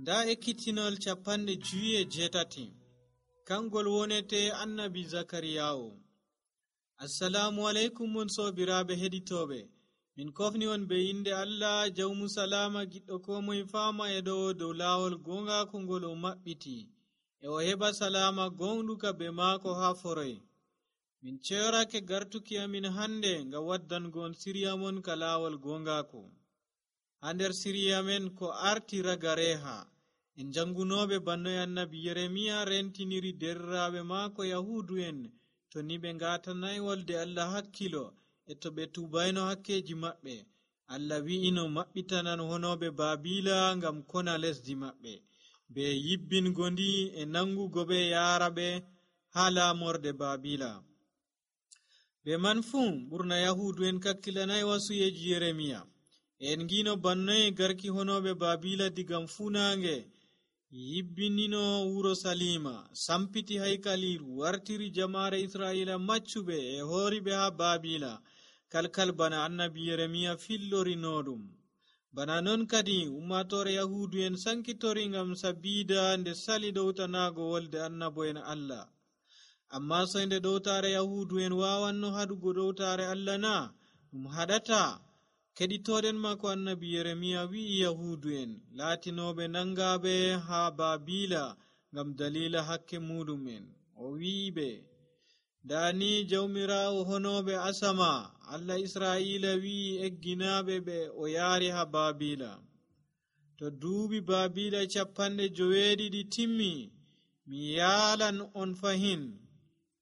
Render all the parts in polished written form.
Nda ekkitinol 58 kangol wonete annabi Zakariyawo. Assalamu alaikum mon sobiraɓe heɗitoɓe. Min kofni on be inde Allah jawmu salama giɗɗo ko moye fama e dow lawol gongaku ngol o maɓɓiti e o heɓa salama gonɗuka be maako ha foroy. Min ceyorake gartuki amin hande ngam waddango on siriya mon ka lawol gongaku. Ha nder siriya men ko arti ragareha en jangunoɓe bannoy annabi Yeremiya rentiniri derraɓe maako Yahudu'en to ni ɓe ngatanay wolde Allah hakkilo e to ɓe tubayno hakkeji maɓɓe. Allah wi'ino maɓɓitanan honoɓe Babila ngam kona lesdi maɓɓe be yibbingo ndi e nangugo ɓe yaara ɓe ha laamorde Babila. Be man fuu ɓurna Yahudu'en kakkilanay wasuyeji Yeremiya. En ngino bannoy garki honoɓe Babila digam funange yibbinino wuro Salima, sampiti haykaliru, wartiri jama'are Isra'ila maccuɓe e horiɓe ha Babila, kalkal bana annabi Yeremiya fillorinoɗum. Bana non kadi ummatore Yahudu'en sankitori ngam sabida nde sali ɗowtanago wolde annabo'en Allah. Amma soinde ɗowtare Yahudu'en wawanno haɗugo ɗowtare Allah na? Ɗum haɗata. Keɗitoɗen mako annabi Yeremiya wi'i Yahudu'en latinoɓe nangaɓe ha Babila ngam dalila hakke muɗumen. O wi'iɓe, dani jawmirawo honoɓe asama Allah Isra'ila wi'i egginaɓe ɓe o yaari ha Babila. To duuɓi Babila 70 timmi, mi yalan on fahin,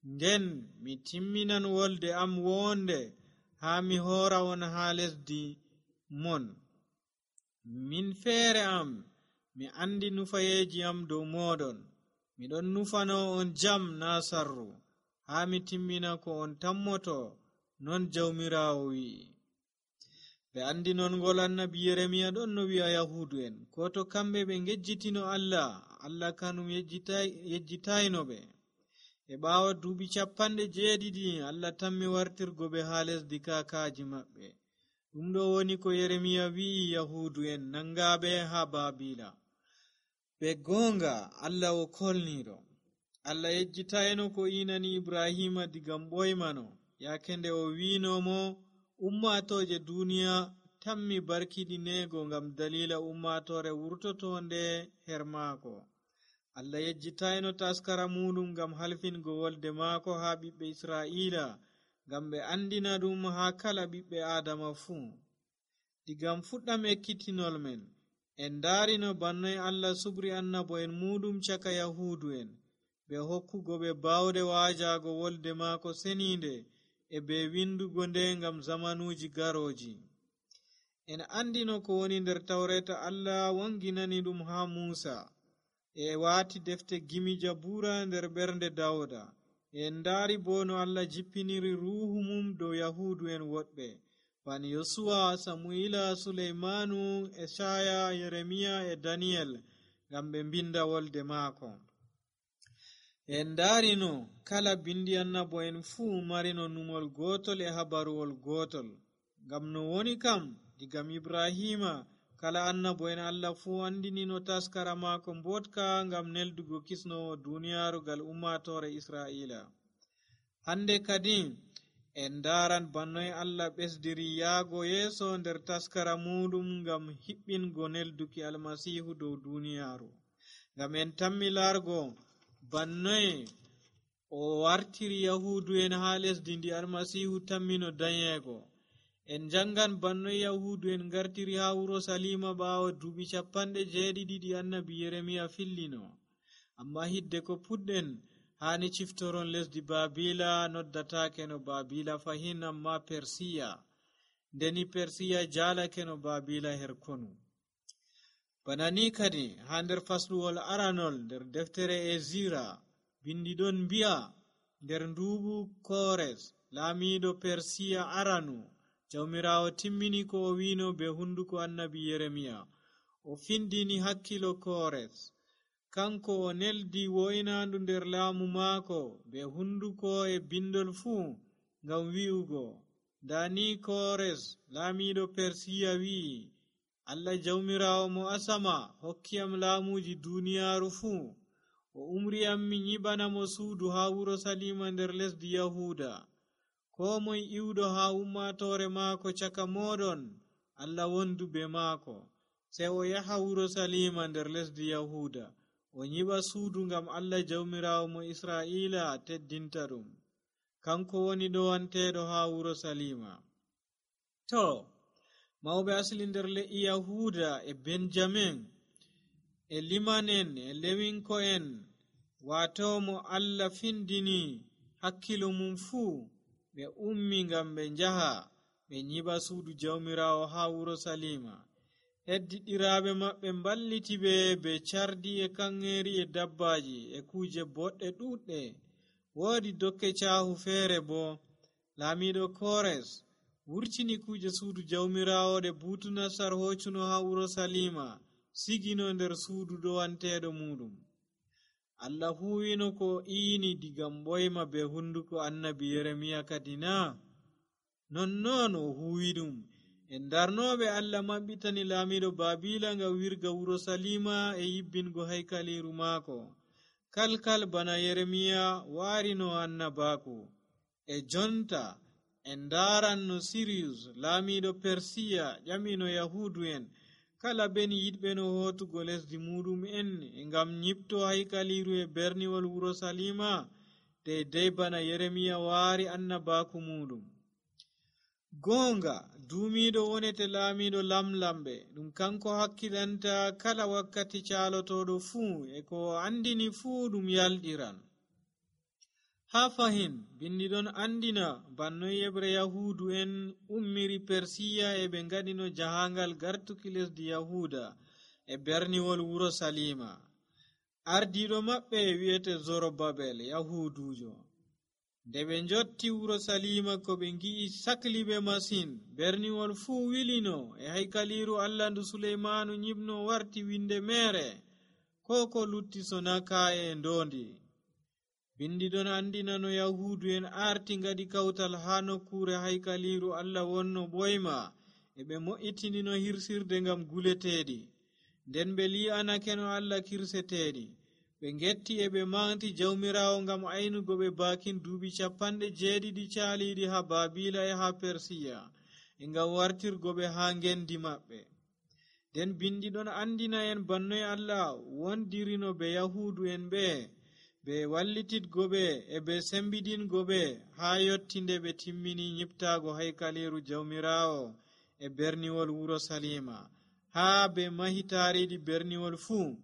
nden mi timminan wolde am wonde ha mi hora on ha lesdi mon. Min feere am mi andi nufayeji am dow moɗon. Miɗon nufano on jam na sarru, ha mi timmina ko on tammoto, non jawmirawo wi'i. Ɓe andi non ngol annabi Yeremiya ɗon no wi'a Yahudu'en, ko to kamɓe ɓe ngejjitino Allah kanum yejjitayno ɓe. E ɓaawo duuɓi 70 Allah tammi wartirgo ɓe ha lesdi kakaji maɓɓe. Ɗum ɗo woni ko Yeremiya wi'i Yahudu'en nangaɓe ha Babila. Be gonga Allah o kolniɗo. Allah yejjitayno ko inani Ibrahima digam ɓoymano, yake nde o winomo ummatoje duniya tammi barkiɗinego ngam dalila ummatore wurtotonde her maako. Allah yejjitayno taskara muɗum ngam halfingo wolde maako ha ɓiɓɓe Isra'ila, ngam ɓe andina ɗum ha kala ɓiɓɓe Adama fuu. Digam fuɗɗam ekkitinol men, en darino bannoy Allah subri annabo'en muɗum caka Yahudu'en, be hokkugo ɓe bawɗe wajago wolde maako seninde e be windugo nde ngam zamanuji garoji. En andino ko woni nder Tawreta Allah wanginani ɗum ha Musa, e waati defte gimi Jabura nder ɓernde Dawda. En ndaari bo no Allah jippiniri ruhu mum dow Yahudu'en woɗɓe, bani Yosuwa, Samuila, Suleimanu, Esaya, Yeremiya e Daniyel, ngam ɓe mbinda wolde maako. En ndaarino kala bindi annabo'en fuu marino numol gotol e habaruwol gotol. Ngam no woni kam digam Ibrahima kala annabo'en Allah fuu andinino taskara maako mbotka ngam neldugo kisnowo duniyaaru gal ummatore Isra'ila. Hande kadi en daran bannoy Allah ɓesdiri yaago yeeso nder taskara muɗum ngam hiɓɓingo nelduki Almasihu dow duniyaaru. Ngam en tammi largo bannoy o wartiri Yahudu'en ha lesdi ndi Almasihu tammino danyego. En jangan bannoy Yahudu'en gartiri ha wuro Salima ɓaawo duuɓi 70 annabi Yeremiya fillino. Amma hidde ko puɗɗen hani ciftoron lesdi Babila noddatake no Babila fahin, amma Persiya, ndeni Persiya jalake no Babila her konu. Bana ni kadi ha nder fasluwol aranol nder deftere Ezira bindiɗon mbi'a nder nduɓu Kores laamiɗo Persiya aranu, jawmirawo timmini ko o wino be hunduko annabi Yeremiya. O findini hakkilo Kores, kanko o neldi woynandu nder laamu maako be hunduko e bindol fuu ngam wi'ugo, dani Kores laamiɗo Persiya wi'i, Allah jawmiraawo mo asama hokkiyam laamuuji duuniyaaru fuu, o umriyam mi nyiɓanamo suudu haa wuro Salima nder lesdi Yahuuda. Koo moye iwɗo haa ummatoore maako caka mooɗon, Allah wondu be maako. Sey o yaha wuro Salima nder lesdi Yahuuda, o nyiɓa suudu ngam Allah jawmiraawo mo Israa'iila teddinta ɗum. Kanko woni ɗowanteeɗo haa wuro Salima. Mawɓe asli nder le'i Yahuuda e Benjamin e liman'en e lewinko'en, waato mo Allah findini hakkilo mum fuu, ɓe ummi ngam ɓe njaha ɓe nyiɓa suudu jawmiraawo haa wuro Salima. Heddiɗiraaɓe maɓɓe mballiti ɓe cardi e kanŋeeri e dabbaaji e kuuje boɗɗe ɗuuɗɗe. Woodi dokke caahu feere bo, laamiiɗo Kores wurtini kuuje suudu jawmiraawo ɗe Buutunasar hoccuno haa wuro Salima, sigino nder suudu ɗowanteeɗo muɗum. Allah huwino ko iini digam ɓoyma be hunduko annabi Yeremiya kadi na? Nonnon o huwi ɗum. En darnoɓe Allah maɓɓitani laamiɗo Baabila nga wirga wuro Salima e yibbingo haykaliru maako, kalkal bana Yeremiya waarino annabaaku. E jonta en daran no Siriyus laamiɗo Persiya ƴamino Yahuudu'en kala ben yiɗɓe no hootugo lesdi muɗum en ngam nyipto haykaliru e berniwol wuro Salima, deydey bana Yeremiya waari annabaaku muɗum. Goonga duumiiɗo wonete laamiɗo lamlamɓe, ɗum kanko hakkilanta kala wakkati caalotoɗo fuu, e ko andini fuu ɗum yalɗiran. Haa fahin bindiɗon andina bannoy yeɓre Yahuudu'en ummiri Persiya e ɓe ngaɗino jahangal gartuki lesdi Yahuuda e berniwol wuro Salima. Ardiiɗo maɓɓe wi'ete Zorobabel Yahuudujo. Nde ɓe njotti wuro Salima ko ɓe ngi'i sakliɓe masin, berniwol fuu wilino e haykaliru Allah ndu Suleymanu nyibno warti winde mere, ko lutti sona ka'e e ndondi. Bindiɗon andina no Yahuudu'en arti ngaɗi kawtal haa nokkure haykaliru Allah wonno ɓoyma, e ɓe mo'itinino hirsirde ngam guleteeɗi. Nden ɓe li'anake no Allah kirseteeɗi. Ɓe ngetti e ɓe manti jawmiraawo ngam aynugo ɓe baakin duuɓi 70 caaliiɗi haa Baabila e haa Persiya, e ngam wartirgo ɓe haa ngendi maɓɓe. Nden bindiɗon andina en bannoy Allah wondirino ɓe Yahuudu'en ɓe wallititgo ɓe e ɓe sembidingo ɓe haa yottinde ɓe timmini nyiptaago haykaliru jawmiraawo e berniwol wuro Salima, haa ɓe mahi taariiɗi berniwol fuu.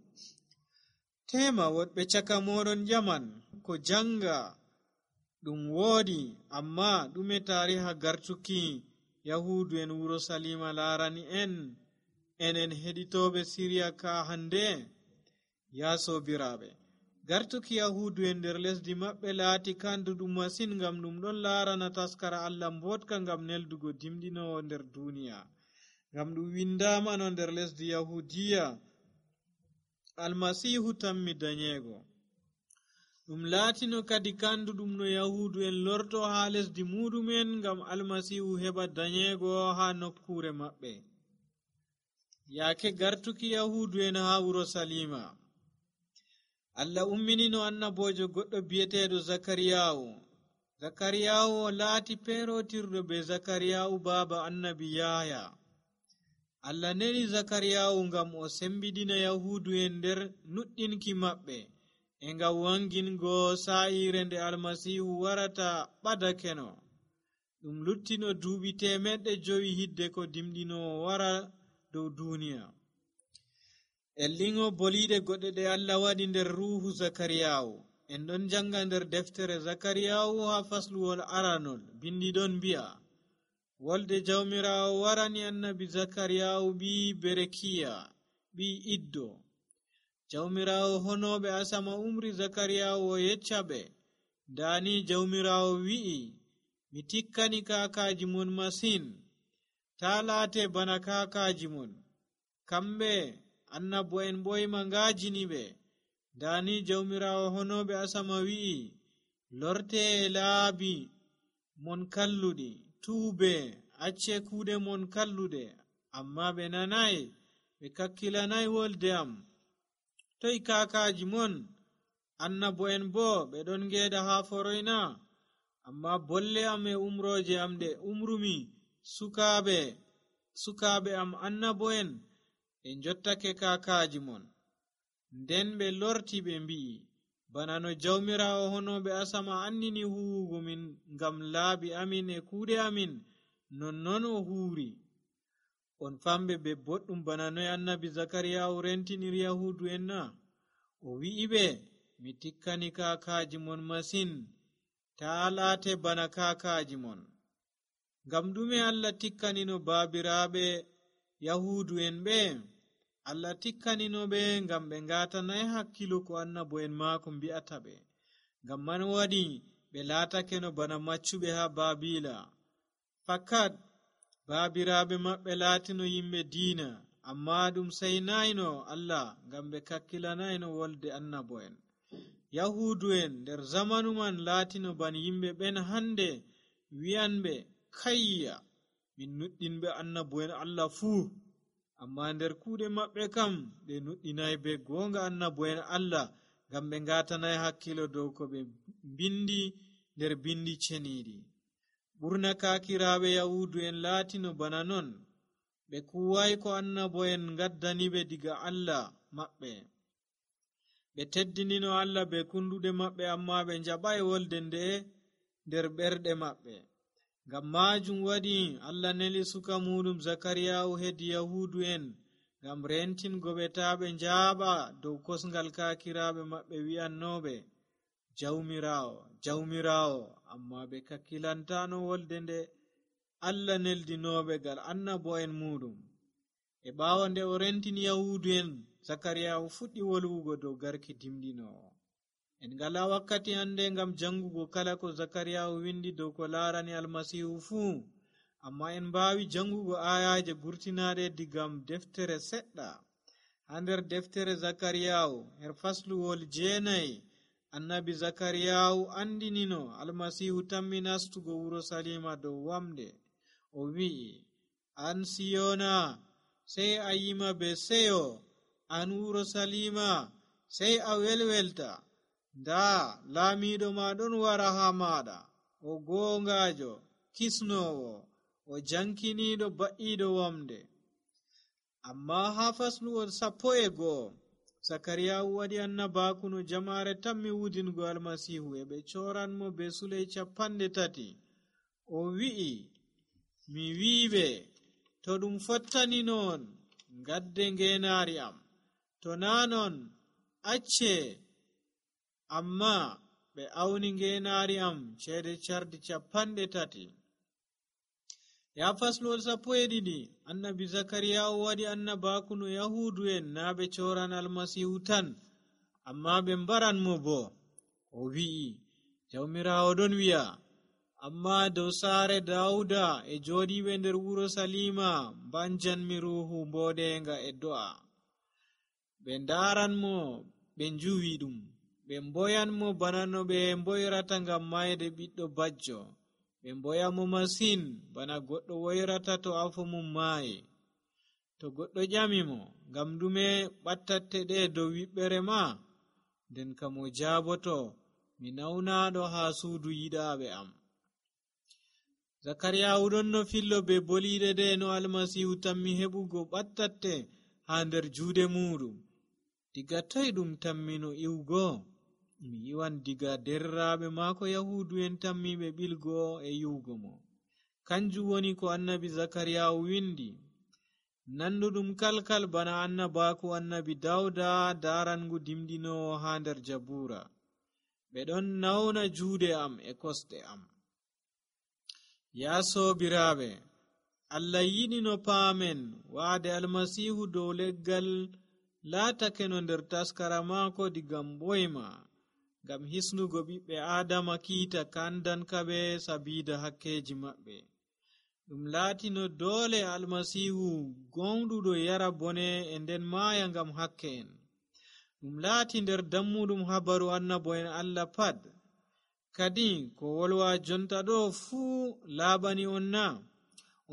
Tema woɗɓe caka moɗon ƴaman ko janga ɗum woodi, amma ɗume taariha gartuki Yahuudu'en wuro Salima laarani enen heɗitoɓe Siriya ka hande? Ya sobiraaɓe, gartuki Yahuudu'en nder lesdi maɓɓe laati kanduɗum masin, ngam ɗum ɗon laarana taskara Allah mbotka ngam neldugo dimɗinowo nder duniya, ngam ɗum windamano nder lesdi Yahudiya Almasihu tammi dañeego. Ɗum laatino kadi kanduɗum no Yahuudu'en lorto haa lesdi muɗumen ngam Almasihu heɓa dañeego haa nokkure maɓɓe. Yaake gartuki Yahuudu'en haa wuro Salima, Allah umminino annabojo goɗɗo bi'eteeɗo Zakariyawu. Zakariyawu laati peerotirɗo be Zakariyawu baaba annabi Yahya. Allah neni Zakariyawu ngam o sembidina Yahuudu'en nder nuɗɗinki maɓɓe, e ngam wangingo saa'ire nde Almasihu warata ɓadakeno. Ɗum luttino duuɓi 500 hidde ko dimɗinowo wara dow duniya. Ellingo boliɗe goɗɗe ɗe Allah waɗi nder ruuhu Zakariyawu. En ɗon janga nder deftere Zakariyawu haa fasluwol aranol, bindiɗon mbi'a, wolde jawmiraawo warani annabi Zakariyawu ɓi Berekiya ɓi Iddo. Jawmiraawo honoɓe asama umri Zakariyawu o yecca ɓe, dani jawmiraawo wi'i, mi tikkani kaakaaji mon masin, ta laate bana kaakaaji mon. Kamɓe annabo'en ɓoyma ngaajini ɓe. Dani jawmiraawo honoɓe asama wi'i, lorte e laabi mon kalluɗi, tuube, acce kuuɗe mon kalluɗe, amma ɓe nanay, ɓe kakkilanay wolde am. Toy kaakaaji mon? Annabo'en boo ɓe ɗon ngeeda haa foroyna? Amma bolle am e umrooje am ɗe umrumi, sukaaɓe am annabo'en ɓe njottake kaakaaji mon. Nden ɓe lorti ɓe mbi'i, bana no Jawmiraawo honooɓe asama andini huwugo min ngam laabi amin e kuuɗe amin, nonnon o huuri. On famɓe ɓe boɗɗum bana noy annabi Zakariyaawu rentiniri Yahuudu'en na? O wi'i ɓe, mi tikkani kaakaaji mon masin, taa laate bana kaakaaji mon. Ngam ɗume Allah tikkanino baabiraaɓe Yahuudu'en ɓe? Allah tikkanino ɓe ngam ɓe ngaatanay hakkilo ko annabo'en maako mbi'ata ɓe. Ngam man waɗi ɓe laatake no bana maccuɓe haa Baabiila. Fakat baabiraaɓe maɓɓe laatino yimɓe diina, amma ɗum saynayno Allah ngam ɓe kakkilanayno wolde annabo'en. Yahuudu'en nder zamanu man laatino bana yimɓe ɓen hande wi'anɓe, kayya, min nuɗɗinɓe annabo'en Allah fuu. Amma nder kuuɗe maɓɓe kam ɓe nuɗɗinay be goonga annabo'en Allah ngam ɓe ngaatanay hakkilo dow ko ɓe bindi nder bindi ceniiɗi. Ɓurna kaakiraaɓe Yahuudu'en laatino bana non, ɓe kuway ko annabo'en ngaddani ɓe diga Allah maɓɓe. Ɓe teddinino Allah be kunduɗe maɓɓe, amma ɓe njaɓay wolde nde nder ɓerɗe maɓɓe. Ngam maajum waɗi Allah neli suka muɗum Zakariyaawu hedi Yahuudu'en ngam rentingo ɓe taa ɓe njaaɓa dow kosngal kaakiraaɓe maɓɓe wi'annooɓe, Jawmiraawo, Jawmiraawo, amma ɓe kakkilantano wolde nde Allah neldinooɓe ngal annabo'en muɗum. E ɓaawo nde o rentini Yahuudu'en, Zakariyaawu fuɗɗi wolwugo dow garki dimɗinoowo. En ngala wakkati hande ngam jangugo kala ko Zakariyaawu windi dow ko laarani Almasiihu fuu, amma en mbaawi jangugo ayaje gurtinaaɗe digam deftere seɗɗa. Haa nder deftere Zakariyaawu her fasluwol 9, annabi Zakariyaawu andinino Almasiihu tammi nastugo Urusalima dow wamde. O wi'i, an Siyoona, sey a yima be seyo, an Urusalima, sey a welwelta. Ndaa laamiiɗo ma ɗon wara haa maaɗa, o goongaajo, kisnoowo, o jankiniiɗo ba'iiɗo wamde. Amma haa fasluwol 11, Zakariyaawu waɗi annabaaku no jamaare tammi wudingo Almasiihu e ɓe cooranmo be suley 30. O wi'i, mi wi'iɓe, to ɗum fottani non, ngadde ngeenaari am, to naa non, acce. Amma ɓe awni ngeenaari am ceede cardi 30. Ya fasluwol 12, annabi Zakariyaawu waɗi annabaaku no Yahuudu'en naa ɓe cooran Almasiihu tan, amma ɓe mbaranmo bo. O wi'i, Jawmiraawo ɗon wi'a, amma dow saare Daawuda e jooɗiiɓe nder Urusalima mbanjanmi ruuhu mbooɗeenga e do'a. Ɓe ndaaranmo, ɓe njuwi ɗum, ɓe mboyanmo bana no ɓe mboyrata ngam mayde ɓiɗɗo bajjo. Ɓe mboyamo masin bana goɗɗo woyrata to afo mum maayi. To goɗɗo ƴamimo, ngam ɗume ɓattatte ɗe dow wiɓɓere ma? Nden kam o jaaboto, mi nawnaaɗo haa suudu yiɗaaɓe am. Zakariyaawu ɗon no fillo be boliiɗe ɗe no Almasiihu tammi heɓugo ɓattatte haa nder juuɗe muɗum. Diga toy ɗum tammino iwgo? Mi yiwan diga derraaɓe maako Yahuudu'en tammiɓe ɓilgo e yiwgo mo. Kanjum woni ko annabi Zakariyaawu windi, nanduɗum kalkal bana annabaaku annabi Dawda daarangu dimɗinoowo haa nder Jabuura. Ɓe ɗon nawna juuɗe am e kosɗe am. Yaa soobiraaɓe, Allah yiɗi no paamen waade Almasiihu dow leggal laatake no nder taskara maako digam ɓoyma, ngam hisnugo ɓiɓɓe Aadama kiita kandankaɓe sabiida hakkeji maɓɓe. Ɗum laatino doole Almasiihu gonɗuɗo yara bone e nden maaya ngam hakke en. Ɗum laati nder dammuɗum habaru annabo'en Allah pat. Kadi ko wolwa jonta ɗo fuu laaɓani on na?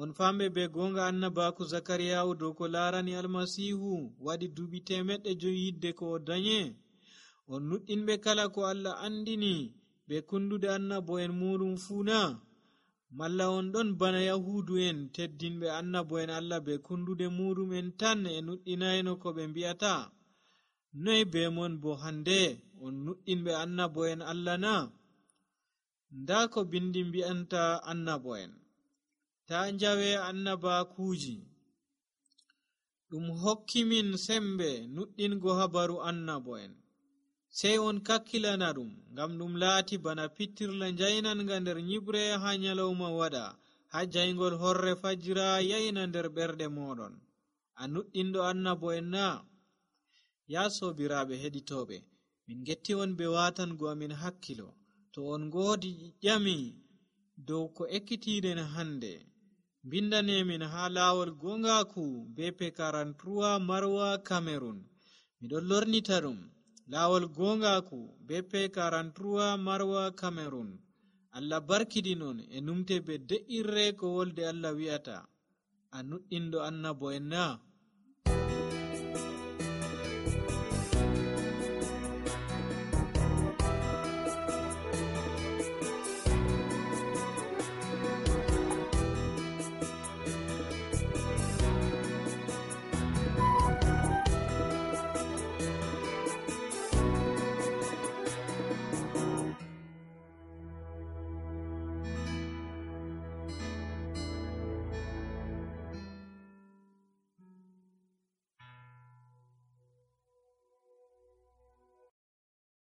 on famɓe be gonga annabaku zakariyawu dow ko larani almasihu waɗi duuɓi 500 yidde ko o danye. On nuɗɗinɓe kala ko Allah andini be kundude annabo'en muɗum fuuna, malla on ɗon bana yahudu en teddinɓe annabo'en Allah be kundude muɗum en tan e nuɗɗinayno ko ɓe mbi'ata? Noy be mon bo hande on nuɗɗinɓe annabo'en Allah na? Nda ko bindi mbi'anta annabo'en: ta njawe annabakuuji. Ɗum hokki min sembe nuɗɗingo habaru annabo'en. Sey on kakkilana ɗum, ngam ɗum laati bana pittirla njaynanga nder nyibre ha nyalawma waɗa, ha jayngol horre fajira yayna nder ɓerɗe moɗon. A nuɗɗinɗo annabo'en na? Ya sobiraaɓe heɗitoɓe, min getti on be watango amin hakkilo. To on ngoodi ƴami dow ko ekkitiɗen hande, bindanemin ha lawol gongaku BP 43 Marwa, Cameroon. Miɗon lornita ɗum lawol gongaku BP 43 Marwa, Cameroon. Allah barkidinon e numte be de'irre ko wolde Allah wi'ata. A nuɗɗinɗo annabo'en na?